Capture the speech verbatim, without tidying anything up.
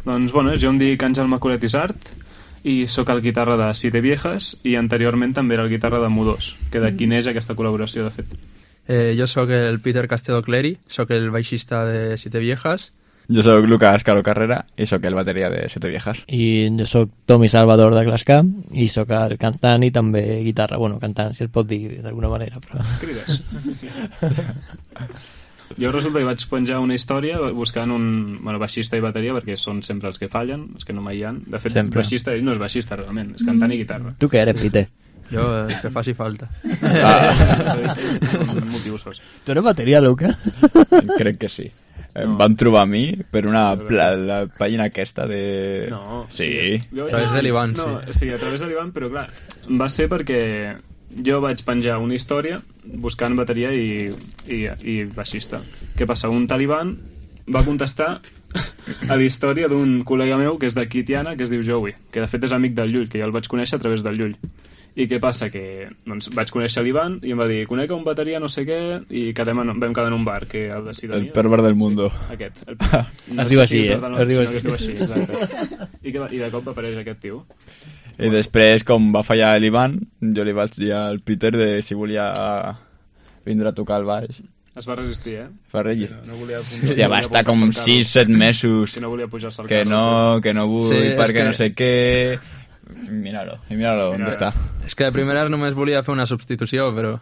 Doncs, bueno, jo em dic Àngel Macolet Isart i sóc el guitarra de Siete Viejas i anteriorment també era el guitarra de Mudós, que d'aquí neix aquesta col·laboració, de fet. Eh, jo sóc el Peter Castedo Cleri, sóc el baixista de Siete Viejas. Jo sóc Lucas Caro Carrera i sóc el bateria de Siete Viejas. I jo sóc Tomi Salvador de Glasca i sóc el cantant i també guitarra. Bueno, cantant, si es pot dir d'alguna manera, però... Crides. Jo resulta que vaig penjar una història buscant un bueno, baixista i bateria, perquè són sempre els que fallen, els que no mai hi ha. De fet, sempre. Baixista ell no és baixista realment, és cantant i guitarra. Tu què eres, Peter? Jo, eh, que faci falta. Ah. Un motiu sos. Tu eres bateria, Luca? Crec que sí. Em van trobar a mi per una la, la pàgina aquesta de... No, sí. sí. A través de l'Ivan, no, sí. Sí, a través de l'Ivan, però clar, va ser perquè jo vaig penjar una història buscant bateria i, i, i baixista. Què passa? Un talibán va contestar a la història d'un col·lega meu que és d'aquí, Tiana, que es diu Joey, que de fet és amic del Llull, que jo el vaig conèixer a través del Llull. I què passa? Que doncs, vaig conèixer l'Ivan i em va dir, conec un bateria no sé què, i quedem en, vam quedar en un bar, que el de Sidonia. El pervers del mundo. Sí, aquest. El, no es diu així, eh? No, es diu així. així. així exacte. I, que, I de cop apareix aquest tio. I després, com va fallar l'Ivan, jo li vaig dir al Peter de si volia vindre a tocar el baix. Es va resistir, eh? Fa regir. No, no volia, Hòstia, va estar com sis set mesos que no volia pujar-se al que carro. no, que no vull, Sí, perquè que... no sé què... Míralo, i míralo, on està. És que de primeres només volia fer una substitució, però